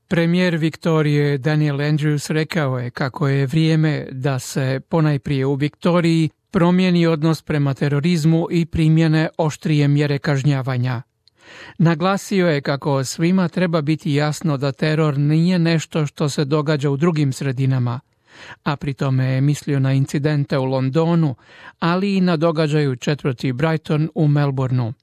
Premijer Viktorije Daniel Andrews rekao je kako je vrijeme da se ponajprije u Viktoriji promijeni odnos prema terorizmu i primjene oštrije mjere kažnjavanja. Naglasio je kako svima treba biti jasno da teror nije nešto što se događa u drugim sredinama, a pri tome je mislio na incidente u Londonu, ali i na događaju četvrti Brighton u Melbourneu.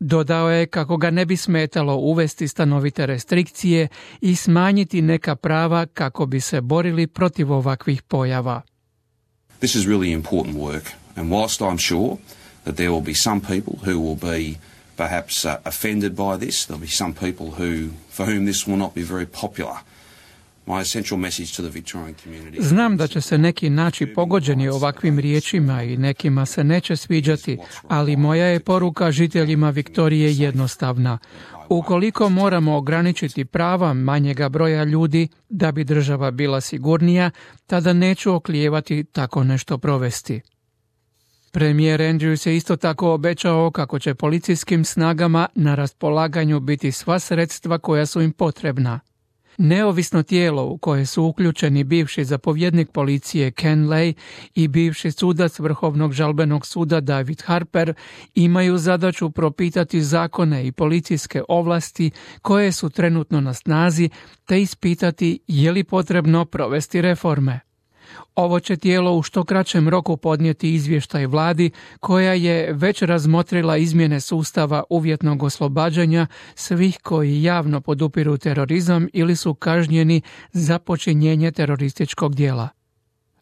Dodao je kako ga ne bi smetalo uvesti stanovite restrikcije i smanjiti neka prava kako bi se borili protiv ovakvih pojava. This is really important work, and whilst I'm sure that there will be some people who will be perhaps offended by this, there'll be some people for whom this will not be very popular. My essential message to the Victorian community. Znam da će se neki naći pogođeni ovakvim riječima i nekima se neće sviđati, ali moja je poruka žiteljima Viktorije jednostavna. Ukoliko moramo ograničiti prava manjega broja ljudi da bi država bila sigurnija, tada neću oklijevati tako nešto provesti. Premijer Andrews je isto tako obećao kako će policijskim snagama na raspolaganju biti sva sredstva koja su im potrebna. Neovisno tijelo u koje su uključeni bivši zapovjednik policije Ken Lay i bivši sudac Vrhovnog žalbenog suda David Harper imaju zadaću propitati zakone i policijske ovlasti koje su trenutno na snazi te ispitati je li potrebno provesti reforme. Ovo će tijelo u što kraćem roku podnijeti izvještaj vladi koja je već razmotrila izmjene sustava uvjetnog oslobađanja svih koji javno podupiru terorizam ili su kažnjeni za počinjenje terorističkog djela.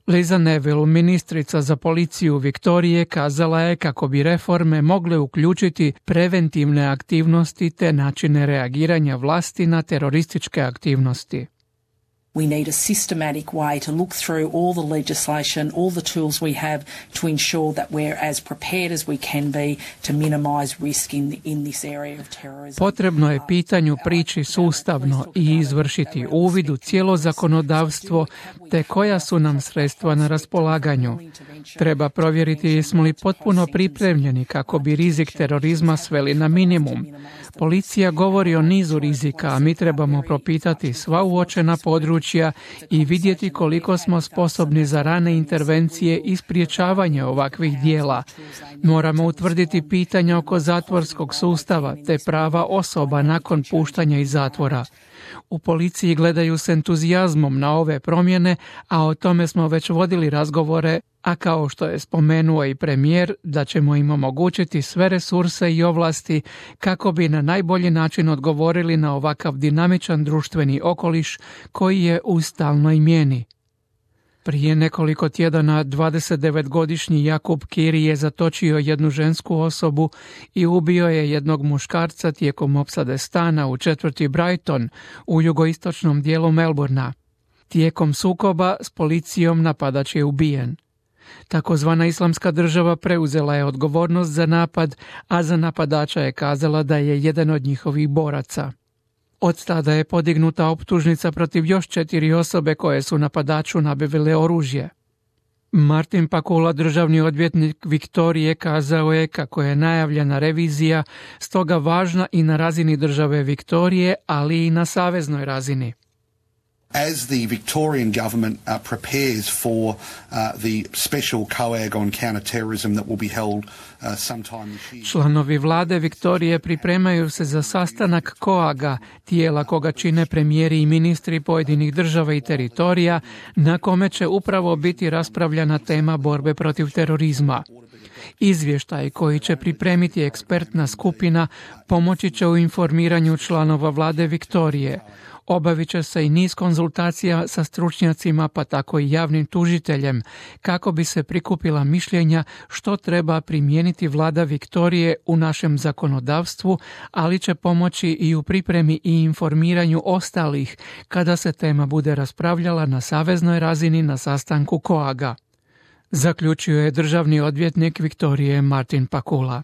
Liza Neville, ministrica za policiju Viktorije, kazala je kako bi reforme mogle uključiti preventivne aktivnosti te načine reagiranja vlasti na terorističke aktivnosti. We need a systematic way to look through all the legislation, all the tools we have to ensure that we're as prepared as we can be to minimise risk in this area of terrorism. Potrebno je pitanju prići sustavno i izvršiti uvid u cijelo zakonodavstvo te koja su nam sredstva na raspolaganju. Treba provjeriti jesmo li potpuno pripremljeni kako bi rizik terorizma sveli na minimum. Policija govori o nizu rizika, a mi trebamo propitati sva uočena područja i vidjeti koliko smo sposobni za rane intervencije i sprječavanje ovakvih dijela. Moramo utvrditi pitanja oko zatvorskog sustava te prava osoba nakon puštanja iz zatvora. U policiji gledaju s entuzijazmom na ove promjene, a o tome smo već vodili razgovore, a kao što je spomenuo i premijer, da ćemo im omogućiti sve resurse i ovlasti kako bi na najbolji način odgovorili na ovakav dinamičan društveni okoliš koji je u stalnoj mijeni. Prije nekoliko tjedana 29-godišnji Jakub Kiri je zatočio jednu žensku osobu i ubio je jednog muškarca tijekom opsade stana u četvrti Brighton u jugoistočnom dijelu Melbournea. Tijekom sukoba s policijom napadač je ubijen. Takozvana Islamska država preuzela je odgovornost za napad, a za napadača je kazala da je jedan od njihovih boraca. Od tada je podignuta optužnica protiv još 4 osobe koje su napadaču nabavile oružje. Martin Pakula, državni odvjetnik Viktorije, kazao je kako je najavljena revizija stoga važna i na razini države Viktorije, ali i na saveznoj razini. As the Victorian government prepares for the special COAG on counter-terrorism that will be held sometime this year. Članovi vlade Viktorije pripremaju se za sastanak COAG-a, tijela koga čine premijeri i ministri pojedinih država i teritorija, na kome će upravo biti raspravljana tema borbe protiv terorizma. Izvještaj koji će pripremiti ekspertna skupina pomoći će u informiranju članova vlade Viktorije. Obavit će se i niz konzultacija sa stručnjacima, pa tako i javnim tužiteljem, kako bi se prikupila mišljenja što treba primijeniti vlada Viktorije u našem zakonodavstvu, ali će pomoći i u pripremi i informiranju ostalih kada se tema bude raspravljala na saveznoj razini na sastanku COAG-a. Zaključio je državni odvjetnik Viktorije Martin Pakula.